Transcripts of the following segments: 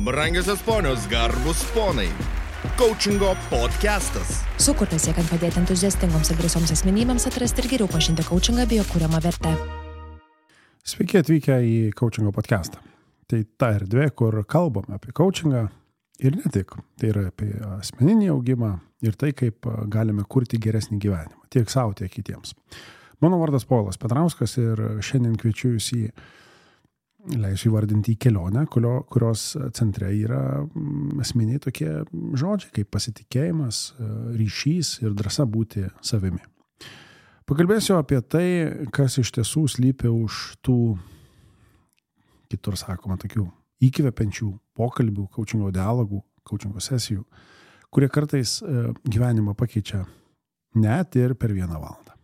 Brangiosios ponios, garbus ponai. Coachingo podcastas. Sukurtas siekiant padėti entuziastingoms ir drąsioms asmenybėms atrasti ir geriau pažinti coachingą bei jo kuriamą vertę. Sveiki atvykę į Coachingo podcastą. Tai ta erdvė, kur kalbame apie coachingą ir ne tik. Tai yra apie asmeninį augimą ir tai, kaip galime kurti geresnį gyvenimą. Tiek savo, tiek kitiems. Mano vardas Povilas Petrauskas ir šiandien kviečiu jūs leisiu įvardinti į kelionę, kurios centre yra esminiai tokie žodžiai, kaip pasitikėjimas, ryšys ir drąsa būti savimi. Pakalbėsiu apie tai, kas iš tiesų slypi už tų, kitur sakoma, tokių įkvepiančių pokalbių, coachingo dialogų, coachingo sesijų, kurie kartais gyvenimą pakeičia net ir per 1 valandą.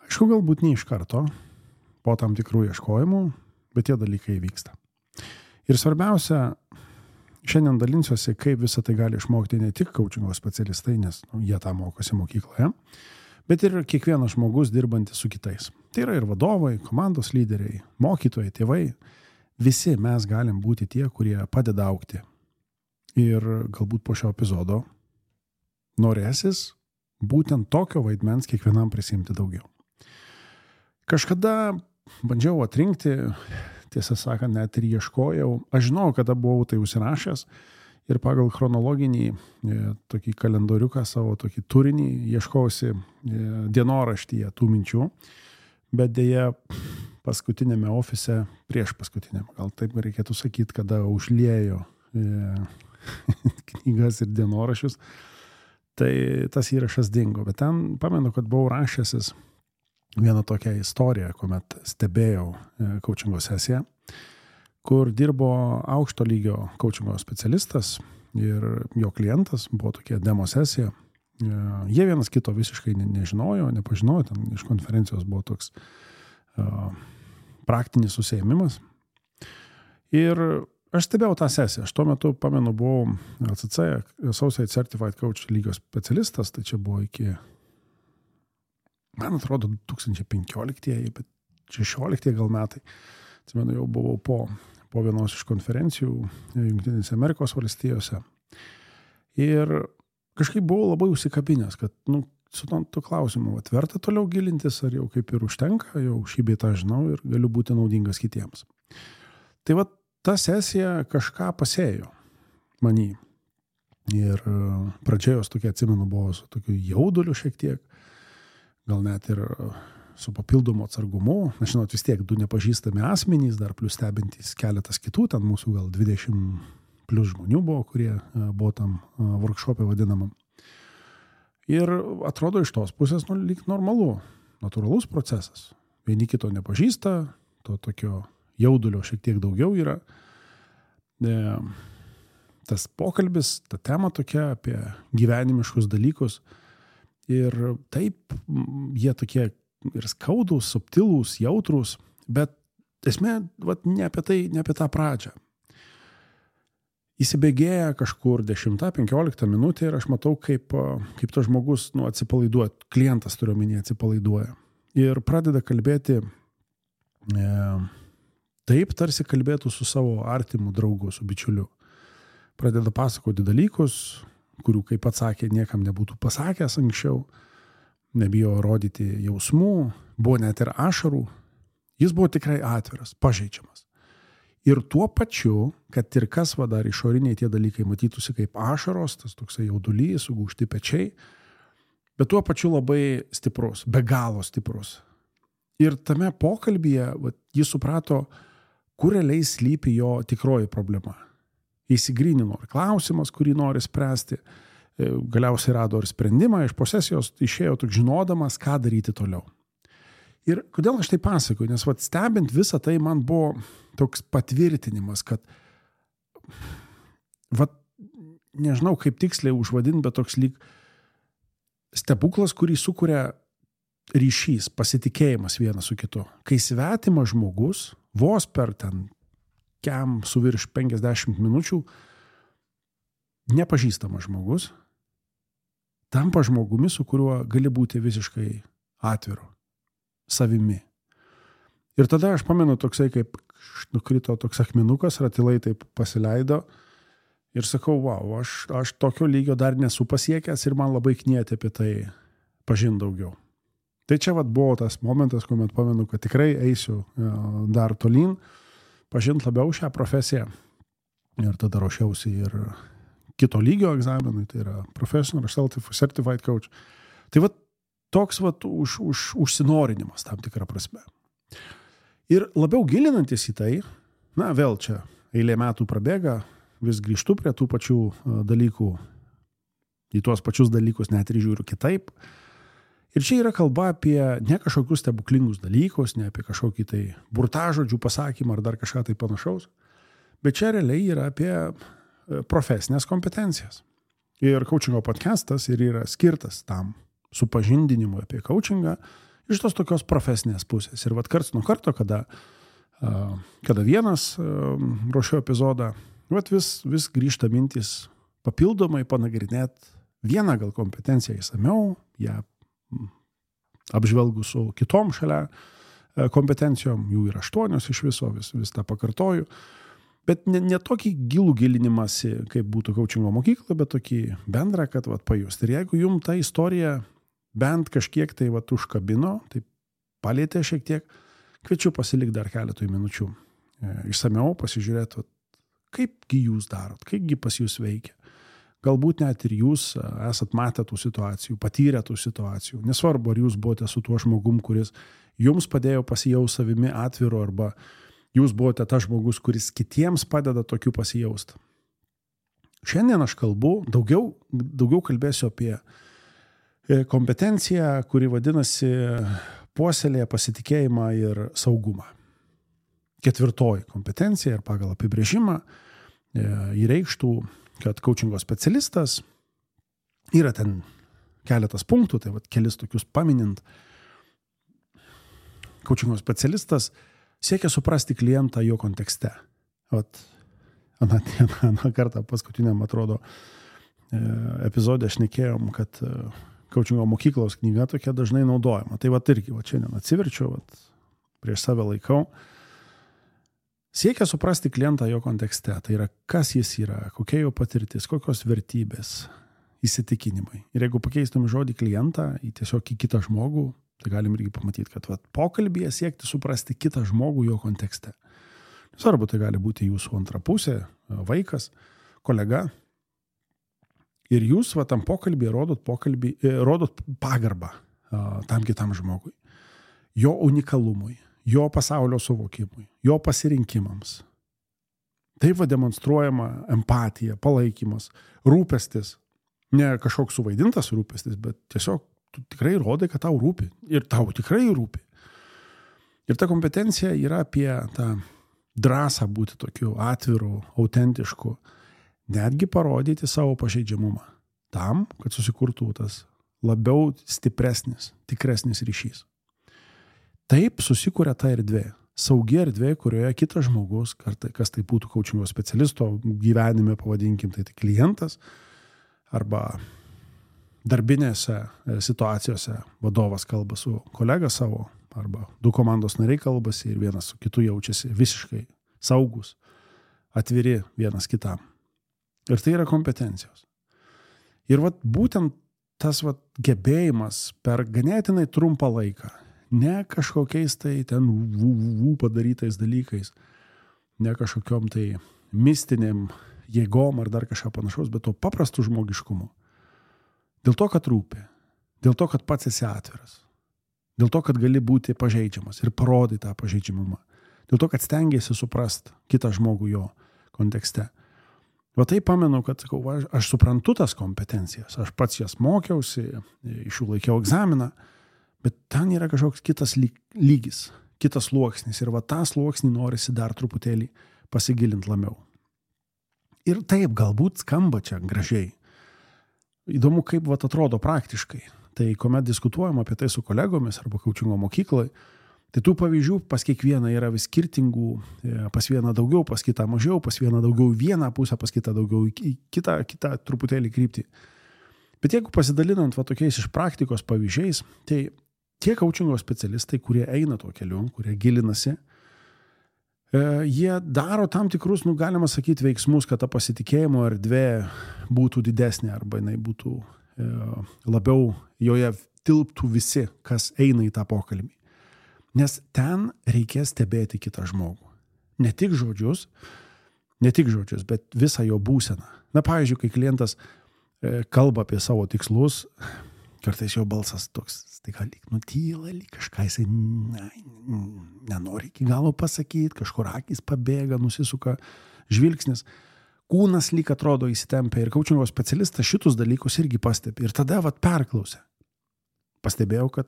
Aišku, galbūt ne iš karto, po tam tikrų ieškojimų, bet tie dalykai vyksta. Ir svarbiausia, šiandien dalinsiuosi, kaip visą tai gali išmokti ne tik coachingo specialistai, nes jie tą mokosi mokykloje, bet ir kiekvienas žmogus dirbantis su kitais. Tai yra ir vadovai, komandos lyderiai, mokytojai, tėvai. Visi mes galim būti tie, kurie padeda augti. Ir galbūt po šio epizodo norėsis būtent tokio vaidmens kiekvienam prisimti daugiau. Kažkada bandžiau atrinkti, tiesą sakant, net ir ieškojau. Aš žinau, kada buvau tai užsirašęs ir pagal chronologinį tokį kalendoriuką, savo tokį turinį ieškausi dienoraštyje tų minčių, bet dėja paskutinėme ofise, prieš paskutiniam, gal taip reikėtų sakyti, kada užliejo knygas ir dienoraščius, tai tas įrašas dingo. Bet ten pamenu, kad buvau rašęsis vieną tokią istoriją, kuomet stebėjau coachingo sesiją, kur dirbo aukšto lygio coachingo specialistas ir jo klientas, buvo tokia demo sesija. Jie vienas kito visiškai nežinojo, nepažinojo, ten iš konferencijos buvo toks praktinis užsiėmimas. Ir aš stebėjau tą sesiją. Aš tuo metu, pamenu, buvau ACC, Associate Certified Coach lygio specialistas, tai čia buvo iki, man atrodo, 2015, bet 16 gal metai. Atsimenu, jau buvau po vienos iš konferencijų Jungtinėse Amerikos valstijose. Ir kažkaip buvau labai užsikabinęs, kad su to klausimu verta toliau gilintis, ar jau kaip ir užtenka, jau šį bei tą žinau ir galiu būti naudingas kitiems. Tai ta sesija kažką pasėjo manį. Ir pradžiojos tokia, atsimenu, buvo su tokiu jauduliu šiek tiek, gal net ir su papildomu atsargumu. Na, žinot, vis tiek 2 nepažįstami asmenys, dar plus stebintys keletas kitų, ten mūsų gal 20 plus žmonių buvo, kurie buvo tam workshop'e vadinamam. Ir atrodo iš tos pusės lyg normalu, natūralus procesas. Vieni kito nepažįsta, to tokio jaudulio šiek tiek daugiau yra. Tas pokalbis, ta tema tokia apie gyvenimiškus dalykus. Ir taip, jie tokie ir skaudūs, subtilūs, jautrūs, bet esmė ne apie tą pradžią. Įsibėgėja kažkur 10-15 minutė ir aš matau, kaip tas žmogus atsipalaiduoja, klientas turiu omeny atsipalaiduoja. Ir pradeda kalbėti taip, tarsi kalbėtų su savo artimu draugu, su bičiuliu. Pradeda pasakoti dalykus, kurių, kaip pats sakė, niekam nebūtų pasakęs anksčiau, nebijo rodyti jausmų, buvo net ir ašarų. Jis buvo tikrai atviras, pažeidžiamas. Ir tuo pačiu, kad ir kas dar išoriniai tie dalykai matytųsi kaip ašaros, tas toksai jaudulys, sugūžti pečiai, bet tuo pačiu labai stiprus, be galo stiprus. Ir tame pokalbyje jis suprato, kur realiai slypi jo tikroji problema. Įsigrynino ir klausimas, kurį nori spręsti, galiausiai rado ir sprendimą, iš posesijos išėjo tik žinodamas, ką daryti toliau. Ir kodėl aš tai pasakoju, nes stebint visą tai man buvo toks patvirtinimas, kad nežinau kaip tiksliai užvadinti, bet toks lyg stebuklas, kurį sukuria ryšys, pasitikėjimas vienas su kitu. Kai svetimas žmogus, vos per ten su virš 50 minučių, nepažįstamas žmogus, tampa žmogumi, su kuriuo gali būti visiškai atviru, savimi. Ir tada aš pamenu toksai kaip nukrito toks akmenukas, ratilai taip pasileido ir sakau, wow, aš tokio lygio dar nesu pasiekęs ir man labai knieti apie tai pažinti daugiau. Tai čia buvo tas momentas, kuomet pamenu, kad tikrai eisiu dar tolyn, pažinti labiau šią profesiją. Ir tada ruošiausi ir kito lygio egzaminui, tai yra Professional Certified Coach. Tai toks užsinorinimas tam tikrą prasme. Ir labiau gilinantis į tai, vėl čia eilė metų prabėga, vis grįžtu prie tų pačių dalykų, į tuos pačius dalykus net ir žiūriu kitaip. Ir čia yra kalba apie ne kažkokius stebuklingus dalykus, ne apie kažkokį tai burtažodžių pasakymą ar dar kažką tai panašaus, bet čia realiai yra apie profesinės kompetencijas. Ir coachingo podcastas ir yra skirtas tam supažindinimui apie coachingą iš tos tokios profesinės pusės. Ir karts nuo karto, kada vienas ruošiu epizodą, vis grįžta mintis papildomai panagrinėti vieną gal kompetenciją įsamiau, ją apžvelgus su kitom šalia kompetencijom, jų yra 8 iš viso, vis tą pakartoju. Bet ne tokį gilų gilinimąsi, kaip būtų coachingo mokykla, bet tokį bendrą, kad pajusti. Ir jeigu jums ta istorija bent kažkiek tai užkabino, tai palietė šiek tiek, kviečiu pasilikti dar keletui minučių. Išsamiau pasižiūrėti, kaipgi jūs darot, kaipgi pas jūs veikia. Galbūt net ir jūs esat matę tų situacijų, patyrę tų situacijų. Nesvarbu, ar jūs buvote su tuo žmogum, kuris jums padėjo pasijausti savimi atviru, arba jūs buvote tas žmogus, kuris kitiems padeda tokiu pasijausti. Šiandien aš daugiau kalbėsiu apie kompetenciją, kuri vadinasi puoselėja pasitikėjimą ir saugumą. 4 kompetencija ir pagal apibrėžimą įreikštų, kad coachingo specialistas yra ten keletas punktų, tai kelis tokius paminint. Coachingo specialistas siekia suprasti klientą jo kontekste. Aną kartą paskutiniam, atrodo, epizode šnekėjom, kad coachingo mokyklos knyga tokia dažnai naudojama. Tai irgi, šiandien atsiverčiau, prieš save laikau. Siekia suprasti klientą jo kontekste. Tai yra, kas jis yra, kokia jo patirtis, kokios vertybės, įsitikinimai. Ir jeigu pakeistume žodį klientą į tiesiog į kitą žmogų, tai galim irgi pamatyti, kad pokalbyje siekti suprasti kitą žmogų jo kontekste. Svarbu, tai gali būti jūsų antra pusė, vaikas, kolega. Ir jūs tam pokalbyje rodot pagarbą tam kitam žmogui, jo unikalumui, jo pasaulio suvokimui, jo pasirinkimams. Taip demonstruojama empatija, palaikymas, rūpestis. Ne kažkoks suvaidintas rūpestis, bet tiesiog tu tikrai rodai, kad tau rūpi. Ir tau tikrai rūpi. Ir ta kompetencija yra apie tą drąsą būti tokiu atviru, autentišku, netgi parodyti savo pažeidžiamumą. Tam, kad susikurtų tas labiau stipresnis, tikresnis ryšys. Taip susikuria ta erdvė. Saugi erdvė, kurioje kitas žmogus, kas tai būtų coachingo specialisto gyvenime, pavadinkim, tai klientas, arba darbinėse situacijose vadovas kalba su kolega savo, arba 2 komandos nariai kalbasi ir vienas su kitu jaučiasi visiškai saugus, atviri vienas kitam. Ir tai yra kompetencijos. Ir būtent tas gebėjimas per ganėtinai trumpą laiką, ne kažkokiais tai ten padarytais dalykais, ne kažkokiom tai mistiniam jėgom ar dar kažką panašaus, bet to paprastų žmogiškumu. Dėl to, kad rūpi, dėl to, kad pats esi atviras, dėl to, kad gali būti pažeidžiamas ir parodai tą pažeidžiamumą, dėl to, kad stengiasi suprast kitą žmogų jo kontekste. Tai pamenu, kad aš suprantu tas kompetencijas, aš pats jas mokiausi, iš jų laikiau egzaminą, bet ten yra kažkoks kitas lygis, kitas sluoksnis ir tą sluoksnį norisi dar truputėlį pasigilinti labiau. Ir taip galbūt skamba čia gražiai. Įdomu, kaip atrodo praktiškai. Tai kuomet diskutuojam apie tai su kolegomis arba coachingo mokyklai, tai tų pavyzdžių pas kiekvieną yra vis skirtingų, pas vieną daugiau, pas kitą mažiau, pas vieną daugiau vieną pusę, pas kitą daugiau kitą truputėlį kryptį. Bet jeigu pasidalinant tokiais iš praktikos pavyzdžiais, tai tie coachingo specialistai, kurie eina tuo keliu, kurie gilinasi, Jie daro tam tikrus, galima sakyti, veiksmus, kad ta pasitikėjimo erdvė būtų didesnė arba jinai būtų labiau, joje tilptų visi, kas eina į tą pokalbį. Nes ten reikės stebėti kitą žmogų. Ne tik žodžius, bet visą jo būseną. Na, pavyzdžiui, kai klientas kalba apie savo tikslus, kartais jo balsas toks, staiga lyg nutyla, lyg kažką jisai nenori iki galo pasakyti, kažkur akys pabėga, nusisuka žvilgsnis, kūnas lyg atrodo įsitempia ir kaučingo specialistas šitus dalykus irgi pastebi. Ir tada perklausė. Pastebėjau, kad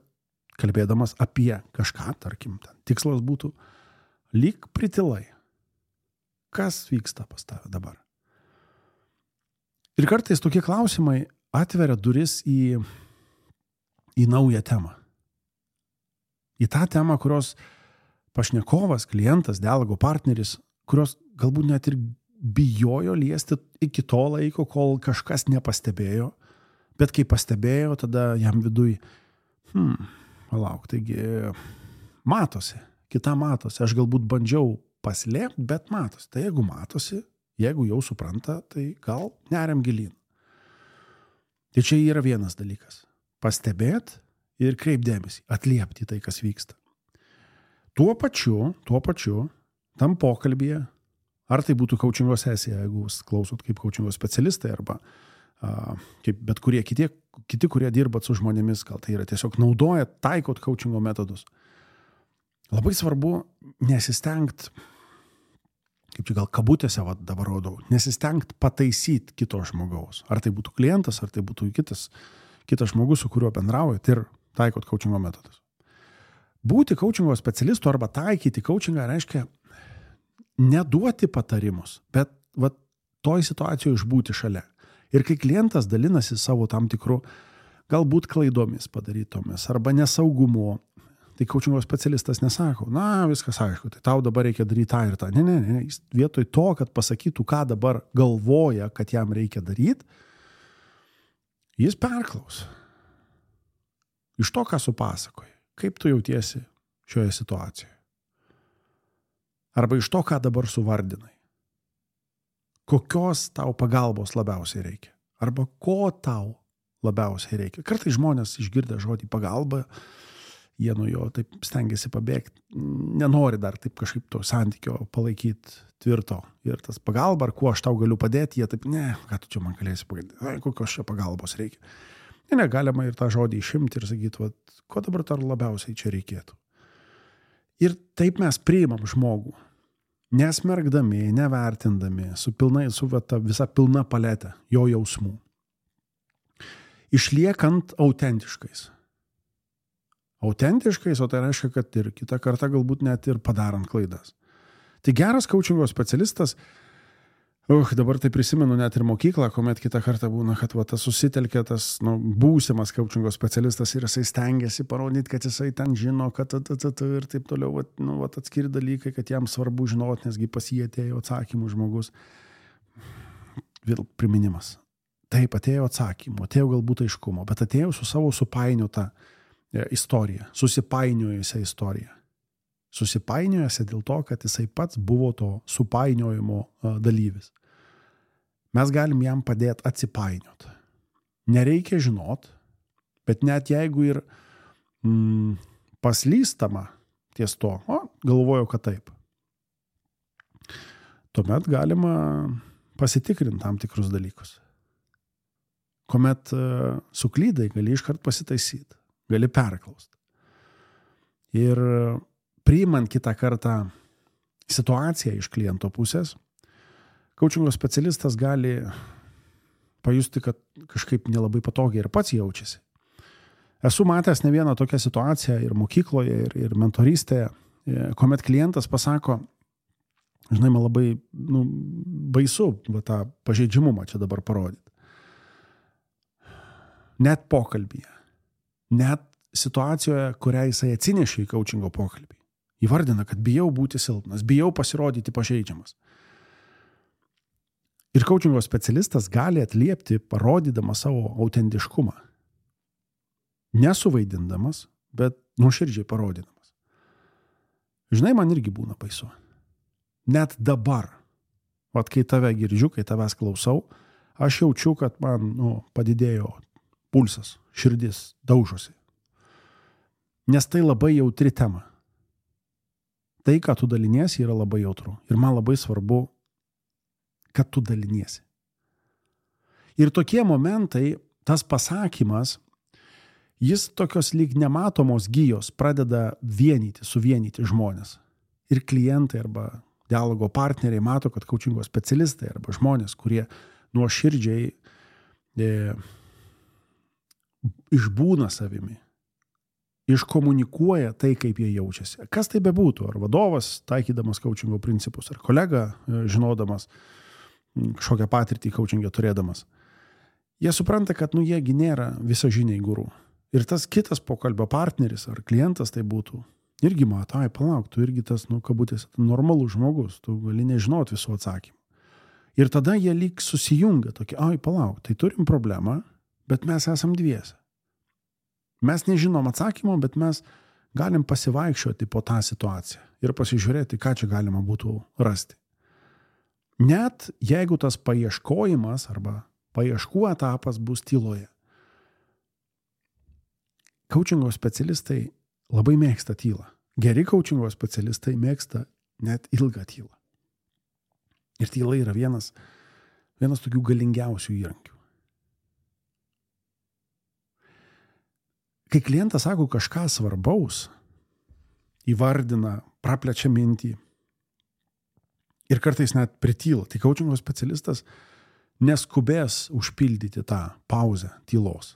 kalbėdamas apie kažką, tarkim, tikslas būtų lyg pritilai. Kas vyksta pas tave dabar? Ir kartais tokie klausimai atveria duris į naują temą. Į tą temą, kurios pašnekovas, klientas, dialogo partneris, kurios galbūt net ir bijojo liesti iki to laiko, kol kažkas nepastebėjo, bet kai pastebėjo, tada jam viduj, palauk, taigi matosi, kita matosi, aš galbūt bandžiau paslėpti, bet matosi. Tai jeigu matosi, jeigu jau supranta, tai gal neriam gilyn. Tai čia yra vienas dalykas. Pastebėti ir kreipdėmėsi, atliepti tai, kas vyksta. Tuo pačiu, tam pokalbyje, ar tai būtų kaučingo sesija, jeigu jūs klausot kaip kaučingo specialistai, arba kaip bet kurie kiti, kurie dirbat su žmonėmis, gal tai yra tiesiog naudojat, taikot kaučingo metodus. Labai svarbu nesistengt, kaip čia gal kabutėse dabar rodau, nesistengt pataisyti kito žmogaus. Ar tai būtų klientas, ar tai būtų kitas žmogus, su kuriuo bendraujat ir taikot kaučingo metodus. Būti kaučingo specialistu arba taikyti kaučingą reiškia neduoti patarimus, bet toj situacijoje išbūti šalia. Ir kai klientas dalinasi savo tam tikrų galbūt klaidomis padarytomis arba nesaugumu, tai kaučingo specialistas nesako, viskas aišku, tai tau dabar reikia daryti tą ir tą. Ne. Jis vietoj to, kad pasakytų, ką dabar galvoja, kad jam reikia daryti, jis perklaus. Iš to, ką supasakoji, kaip tu jautiesi šioje situacijoje. Arba iš to, ką dabar suvardinai. Kokios tau pagalbos labiausiai reikia. Arba ko tau labiausiai reikia. Kartais žmonės išgirdę žodį pagalba, jie nuo jo taip stengiasi pabėgti, nenori dar taip kažkaip to santykio palaikyti tvirto. Ir tas pagalba, ar kuo aš tau galiu padėti, jie taip, ką tu čia man galėsi pagalboti, kokios čia pagalbos reikia. Galima ir tą žodį išimti ir sakyti, ko dabar tau labiausiai čia reikėtų. Ir taip mes priimam žmogų, nesmergdami, nevertindami, su visa pilna paletė jo jausmų. Išliekant autentiškais. Autentiškais, o tai reiškia, kad ir kitą kartą galbūt net ir padarant klaidas. Tai geras kaučingo specialistas, dabar tai prisimenu net ir mokyklą, kuomet kitą kartą būna, kad tas susitelkė tas būsimas kaučingo specialistas ir jisai stengiasi parodyti, kad jisai ten žino, kad ir taip toliau, atskiri dalykai, kad jam svarbu žinoti, nesgi pas jį atėjo atsakymų žmogus. Vėl priminimas. Taip, atėjo atsakymų, atėjo galbūt aiškumo, bet atėjo su savo supainiota istorija, susipainiojusią istoriją. Susipainiojusią dėl to, kad jisai pats buvo to supainiojimo dalyvis. Mes galim jam padėti atsipainioti. Nereikia žinot, bet net jeigu ir paslystama ties to, galvoju, kad taip. Tuomet galima pasitikrinti tam tikrus dalykus. Kuomet suklydai, gali iškart pasitaisyti, gali perklausti. Ir priimant kitą kartą situaciją iš kliento pusės, kaučingo specialistas gali pajusti, kad kažkaip nelabai patogiai ir pats jaučiasi. Esu matęs ne vieną tokią situaciją ir mokykloje, ir mentorystėje, kuomet klientas pasako, žinai, man labai baisu tą pažeidžiamumą čia dabar parodyti. Net pokalbyje, net situacijoje, kurią jisai atsinešė į kaučingo pokalbį. Įvardina, kad bijau būti silpnas, bijau pasirodyti pažeidžiamas. Ir kaučingo specialistas gali atliepti, parodydamas savo autentiškumą. Nesuvaidindamas, bet nuoširdžiai parodydamas. Žinai, man irgi būna baisu. net dabar, vat kai tave girdžiu, kai tavęs klausau, aš jaučiu, kad man padidėjo pulsas, širdis daužosi. Nes tai labai jautri tema. Tai, ką tu daliniesi, yra labai jautru. Ir man labai svarbu, kad tu daliniesi. Ir tokie momentai, tas pasakymas, jis tokios lyg nematomos gijos pradeda suvienyti žmonės. Ir klientai arba dialogo partneriai mato, kad coachingo specialistai arba žmonės, kurie nuoširdžiai išbūna savimi, iškomunikuoja tai, kaip jie jaučiasi. Kas tai bebūtų, ar vadovas, taikydamas coachingo principus, ar kolega, žinodamas kažkokią patirtį coachingą turėdamas. Jie supranta, kad jiegi nėra visažiniai guru. Ir tas kitas pokalbio partneris ar klientas tai būtų, irgi mato, palauk, tu irgi tas, kabutėse, normalus žmogus, tu gali nežinot visų atsakymų. Ir tada jie lyg susijungia tokie, palauk, tai turim problemą, bet mes esam dviese. Mes nežinom atsakymų, bet mes galim pasivaikščioti po tą situaciją ir pasižiūrėti, ką čia galima būtų rasti. Net jeigu tas paieškojimas arba paieškų etapas bus tyloje. Coachingo specialistai labai mėgsta tylą. Geri coachingo specialistai mėgsta net ilgą tylą. Ir tyla yra vienas tokių galingiausių įrankių. Kai klientas sako kažką svarbaus, įvardina, praplečia mintį ir kartais net prityla, tai coachingo specialistas neskubės užpildyti tą pauzę tylos.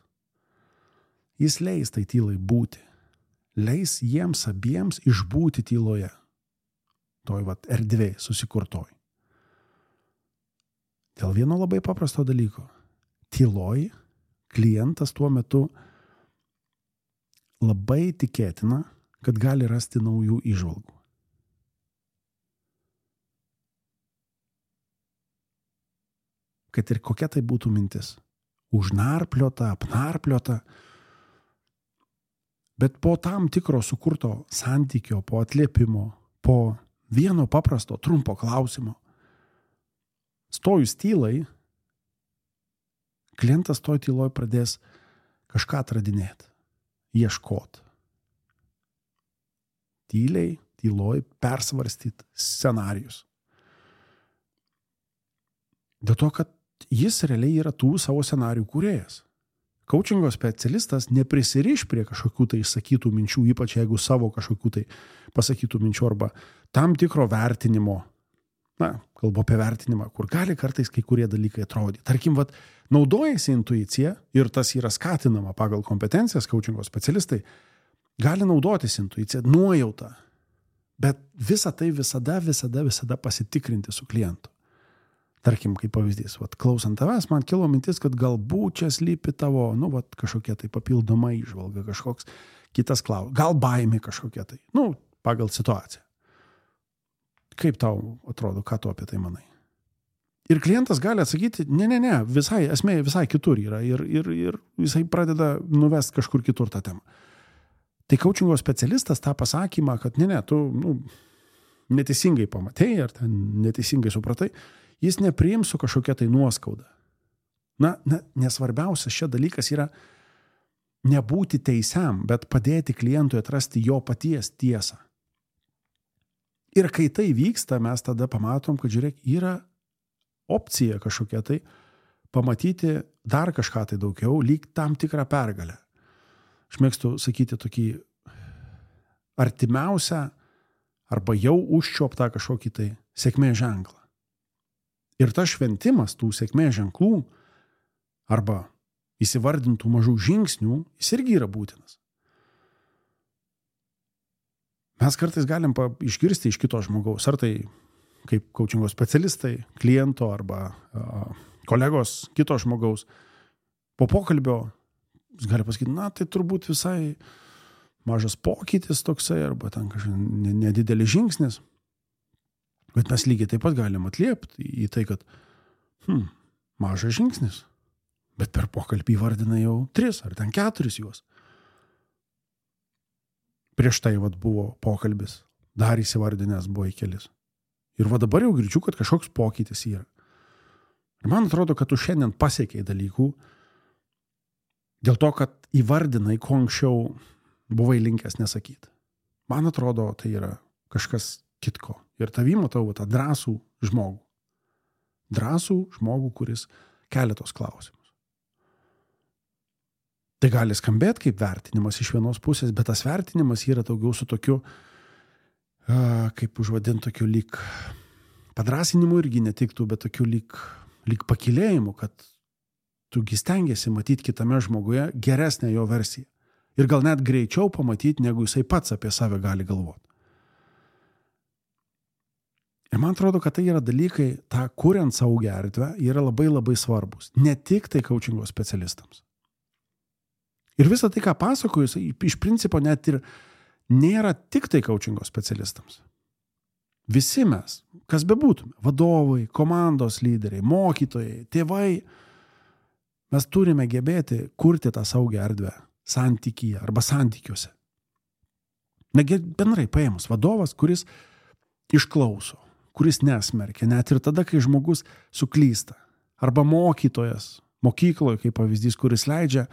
Jis leis tai tylai būti. Leis jiems abiems išbūti tyloje. Toj erdvėj susikurtoj. Dėl vieno labai paprasto dalyko. Tyloj klientas tuo metu labai tikėtina, kad gali rasti naujų įžvalgų. Kad ir kokia tai būtų mintis. Užnarpliota, apnarpliota. Bet po tam tikro sukurto santykio, po atliepimo, po vieno paprasto, trumpo klausimo, stojus tylai, klientas toj tyloj pradės kažką atradinėti, ieškoti. Tyliai, tyloj persvarstyti scenarijus. Dėl to, kad jis realiai yra tų savo scenarijų kūrėjas. Coachingo specialistas neprisiriš prie kažkokių tai išsakytų minčių, ypač jeigu savo kažkokių tai pasakytų minčių arba tam tikro vertinimo, kalbu apie vertinimą, kur gali kartais kai kurie dalykai atrodyti. Tarkim, naudojasi intuicija ir tas yra skatinama pagal kompetencijas, coachingo specialistai gali naudotis intuicija, nuojautą, bet visą tai visada pasitikrinti su klientu. Tarkim, kaip pavyzdys, klausant tavęs, man kilo mintis, kad galbūt čia slypi tavo, kažkokia tai papildoma įžvalga, kažkoks kitas klausimas, gal baimė kažkokia tai, pagal situaciją. Kaip tau atrodo, ką tu apie tai manai? Ir klientas gali atsakyti, ne, esmė visai kitur yra ir jisai pradeda nuvest kažkur kitur tą temą. Tai coachingo specialistas tą pasakymą, kad tu neteisingai pamatei ar ten neteisingai supratai, jis nepriims su kažkokia tai nuoskauda. Nesvarbiausias šia dalykas yra nebūti teisiam, bet padėti klientui atrasti jo paties tiesą. Ir kai tai vyksta, mes tada pamatom, kad žiūrėk, yra opcija kažkokia tai pamatyti dar kažką tai daugiau, lyg tam tikrą pergalę. Aš mėgstu sakyti tokį artimiausią arba jau užčiuoptą kažkokį tai sėkmės ženklą. Ir tas šventimas tų sėkmės ženklų arba įsivardintų mažų žingsnių, jis irgi yra būtinas. Mes kartais galim išgirsti iš kito žmogaus, ar tai kaip coachingo specialistai, kliento arba kolegos kito žmogaus. Po pokalbio jis gali pasakyti, tai turbūt visai mažas pokytis toksai arba ten kažkaip nedidelis žingsnis. Bet mes lygiai taip pat galim atliepti į tai, kad mažas žingsnis, bet per pokalbį įvardina jau 3 ar ten 4 juos. Prieš tai buvo pokalbis, dar įsivardinęs buvo į kelis. Ir va dabar jau girdžiu, kad kažkoks pokytis yra. Ir man atrodo, kad tu šiandien pasiekiai dalykų dėl to, kad įvardinai, ko anksčiau buvai linkęs nesakyti. Man atrodo, tai yra kažkas kitko. Ir tavį matau tą drąsų žmogų. Drąsų žmogų, kuris kelia tos klausimus. Tai gali skambėti kaip vertinimas iš vienos pusės, bet tas vertinimas yra daugiau su tokiu, kaip užvadinti, tokiu lyg padrasinimu irgi netiktų, bet tokiu lyg pakilėjimu, kad tugi stengiasi matyti kitame žmoguje geresnę jo versiją. Ir gal net greičiau pamatyti, negu jisai pats apie save gali galvoti. Ir man atrodo, kad tai yra dalykai, tą kuriant saugią erdvę, yra labai labai svarbus. Ne tik tai coachingo specialistams. Ir visą tai, ką pasakoju, iš principo net ir nėra tik tai coachingo specialistams. Visi mes, kas bebūtume, vadovai, komandos lyderiai, mokytojai, tėvai, mes turime gebėti kurti tą saugią erdvę santykyje arba santykiuose. Negi bendrai paėmus vadovas, kuris išklauso, kuris nesmerkia, net ir tada, kai žmogus suklysta. Arba mokytojas, mokykloje, kaip pavyzdys, kuris leidžia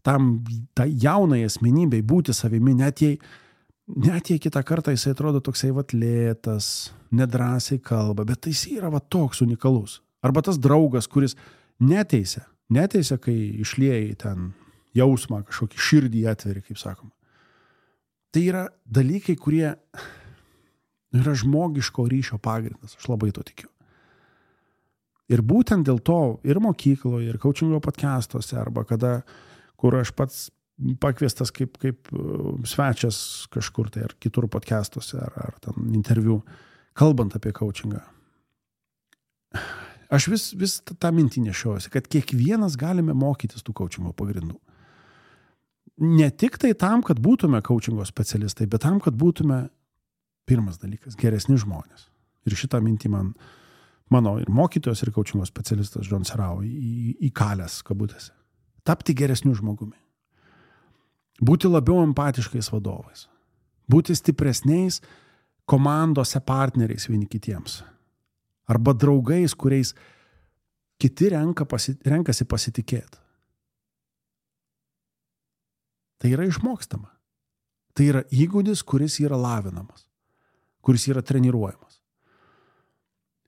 tai jaunai asmenybei būti savimi, net jei kitą kartą jisai atrodo toksai lėtas, nedrąsiai kalba, bet jis yra toks unikalus. Arba tas draugas, kuris neteisia, kai išliejai ten jausmą, kažkokį širdį atveri, kaip sakoma. Tai yra dalykai, kurie yra žmogiško ryšio pagrindas, aš labai to tikiu. Ir būtent dėl to ir mokykloje, ir coachingo podcastuose, arba kur aš pats pakviestas kaip svečias kažkur tai, ar kitur podcastuose, ar ten interviu, kalbant apie coachingą. Aš vis tą mintį nešiojuosi, kad kiekvienas galime mokytis tų coachingo pagrindų. Ne tik tai tam, kad būtume coachingo specialistai, bet tam, kad būtume, pirmas dalykas, geresni žmonės. Ir šitą mintį mano ir mokytojas, ir coachingo specialistas John Serau įkalęs kabutėse. Tapti geresniu žmogumi. Būti labiau empatiškais vadovais. Būti stipresniais komandose partneriais vieni kitiems. Arba draugais, kuriais kiti renkasi pasitikėti. Tai yra išmokstama. Tai yra įgūdis, kuris yra lavinamas, kuris yra treniruojamas.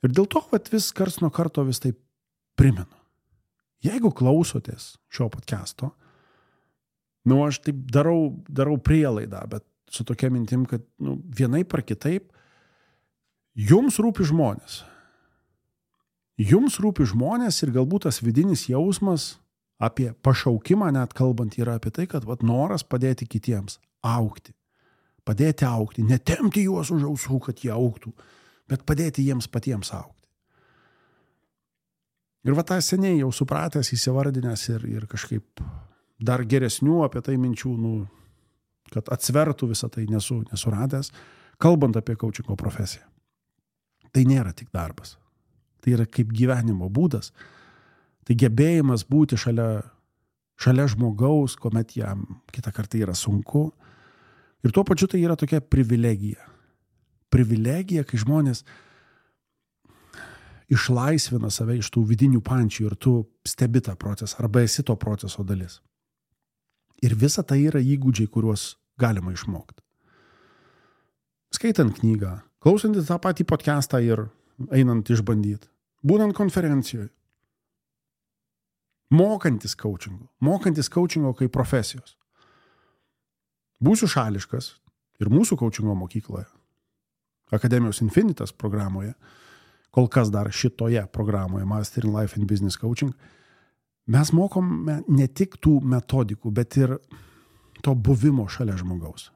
Ir dėl to vis karts nuo karto vis taip primenu. Jeigu klausotės šio podcasto, aš taip darau prielaidą, bet su tokia mintim, kad vienaip ar kitaip jums rūpi žmonės. Jums rūpi žmonės ir galbūt tas vidinis jausmas apie pašaukimą net kalbant yra apie tai, kad noras padėti kitiems augti. Padėti augti, netempti juos už ausų, kad jie augtų, bet padėti jiems patiems augti. Ir tą seniai jau supratęs, įsivardinęs ir kažkaip dar geresnių apie tai minčių, kad atsvertų visą tai nesuradęs, kalbant apie coachingo profesiją. Tai nėra tik darbas. Tai yra kaip gyvenimo būdas. Tai gebėjimas būti šalia žmogaus, kuomet jam kitą kartą yra sunku. Ir tuo pačiu tai yra tokia privilegija. Privilegija, kai žmonės išlaisvina save iš tų vidinių pančių ir tu stebi tą procesą, arba esi to proceso dalis. Ir visa tai yra įgūdžiai, kuriuos galima išmokti. Skaitant knygą, klausantis tą patį podcastą ir einant išbandyti, būnant konferencijoje, mokantis coachingo kaip profesijos. Būsiu šališkas ir mūsų coachingo mokykloje, Akademijos Infinitas programoje, kol kas dar šitoje programoje, Master in Life and Business Coaching, mes mokome ne tik tų metodikų, bet ir to buvimo šalia žmogaus.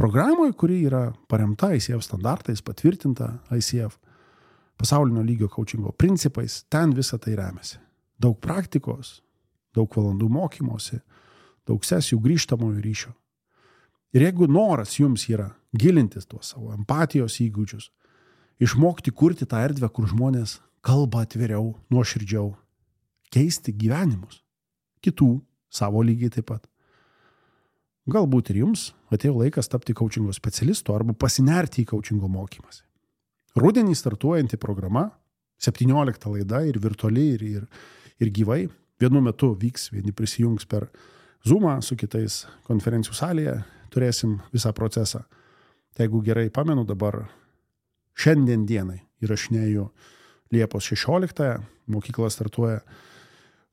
Programoje, kuri yra paremta ICF standartais, patvirtinta ICF pasaulinio lygio coachingo principais, ten visą tai remiasi. Daug praktikos, daug valandų mokymosi, daug sesijų grįžtamojo ryšio. Ir jeigu noras jums yra gilintis tuos savo empatijos įgūdžius, išmokti kurti tą erdvę, kur žmonės kalba atviriau, nuoširdžiau, keisti gyvenimus, kitų, savo lygiai taip pat. Galbūt ir jums atėjo laikas tapti coachingo specialistu arba pasinerti į coachingo mokymąsi. Rudenį startuojanti programa, 17 laida ir virtualiai, ir gyvai. Vienu metu vyks, vieni prisijungs per Zoomą, su kitais konferencijų salėje, turėsim visą procesą. Tai jeigu gerai pamenu, dabar šiandien dienai įrašinėju Liepos 16, mokykla startuoja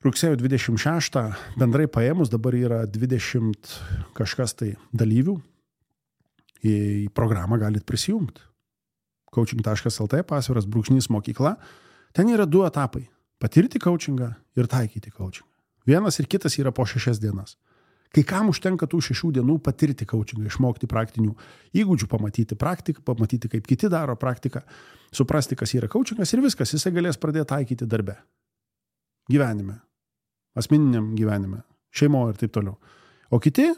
rugsėjo 26, bendrai paėmus dabar yra 20 kažkas tai dalyvių. Į programą galit prisijungti. Coaching.lt /mokykla. Ten yra 2 etapai. Patirti coachingą ir taikyti coachingą. Vienas ir kitas yra po 6 dienas. Kai kam užtenka tų 6 dienų patirti coachingą, išmokti praktinių įgūdžių, pamatyti praktiką, pamatyti, kaip kiti daro praktiką, suprasti, kas yra coachingas ir viskas, jisai galės pradėti taikyti darbe. Gyvenime, asmeniniam gyvenime, šeimoje ir taip toliau. O kiti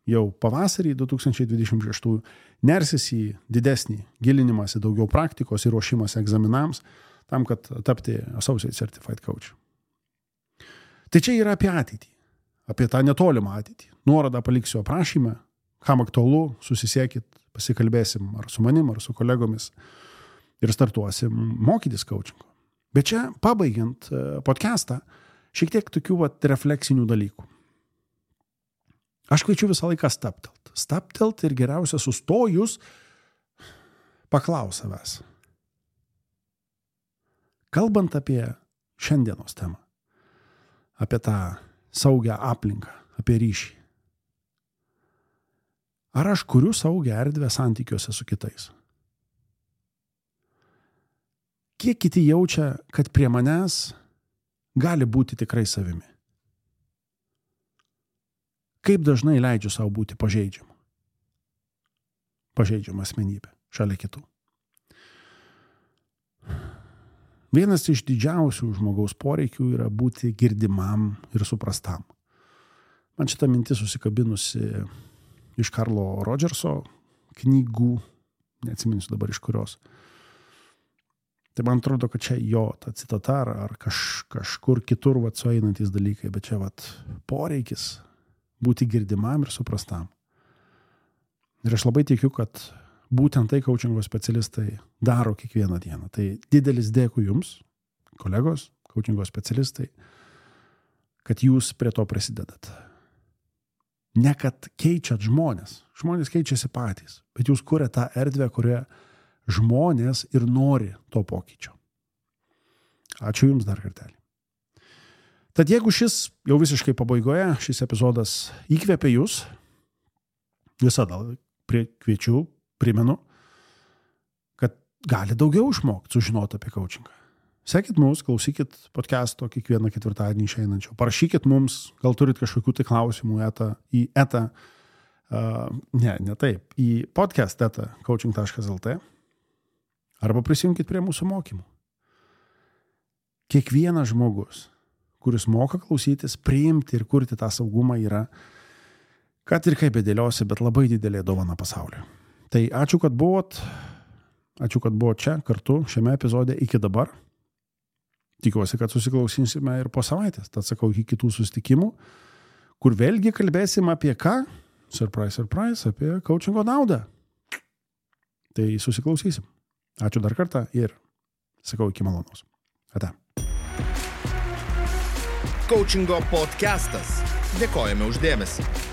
jau pavasarį 2026 nersis į didesnį gilinimąsi, daugiau praktikos ir ruošimąsi egzaminams, tam, kad tapti Associate Certified Coach. Tai čia yra apie ateitį, apie tą netolimą ateitį. Nuorodą paliksiu aprašymę, kam aktualu, susisiekit, pasikalbėsim ar su manim, ar su kolegomis ir startuosim mokytis coachingo. Bet čia, pabaigiant podcastą, šiek tiek tokių refleksinių dalykų. Aš kviečiu visą laiką stabtelt. Stabtelt ir geriausia sustojus paklaus savęs. Kalbant apie šiandienos temą, apie tą saugią aplinką, apie ryšį. Ar aš kuriu saugią erdvę santykiuose su kitais? Kiek kiti jaučia, kad prie manęs gali būti tikrai savimi? Kaip dažnai leidžiu savo būti pažeidžiamu? Pažeidžiama asmenybė šalia kitų. Vienas iš didžiausių žmogaus poreikių yra būti girdimam ir suprastam. Man šitą mintį susikabinusi iš Karlo Rodžerso knygų, neatsiminsiu dabar iš kurios. Tai man atrodo, kad čia jo ta citata ar kažkur kitur sueinantys dalykai, bet čia poreikis būti girdimam ir suprastam. Ir aš labai tikiu, kad būtent tai coachingo specialistai daro kiekvieną dieną. Tai didelis dėkui jums, kolegos, coachingo specialistai, kad jūs prie to prisidedat. Ne kad keičiat žmonės. Žmonės keičiasi patys, bet jūs kuriate tą erdvę, kurioje žmonės ir nori to pokyčio. Ačiū jums dar kartelį. Tad jeigu šis jau visiškai pabaigoje, šis epizodas įkvėpė jūs, visada kviečiu, primenu, kad gali daugiau išmokti, sužinoti apie coachingą. Sekit mus, klausykit podcast'o kiekvieną ketvirtadienį išeinančio. Parašykit mums, gal turit kažkokių tai klausimų į podcast coaching.lt arba prisijunkit prie mūsų mokymų. Kiekvienas žmogus, kuris moka klausytis, priimti ir kurti tą saugumą yra, kad ir kaip bedėliosi, bet labai didelė dovana pasauliu. Tai ačiū, kad buvot čia kartu šiame epizode iki dabar. Tikiuosi, kad susiklausysime ir po savaitės. Tad sakau, iki kitų susitikimų, kur vėlgi kalbėsim apie ką? Surprise, surprise, apie coachingo naudą. Tai susiklausysim. Ačiū dar kartą ir sakau iki malonaus. Ate. Coachingo podcastas. Dėkojame už dėmesį.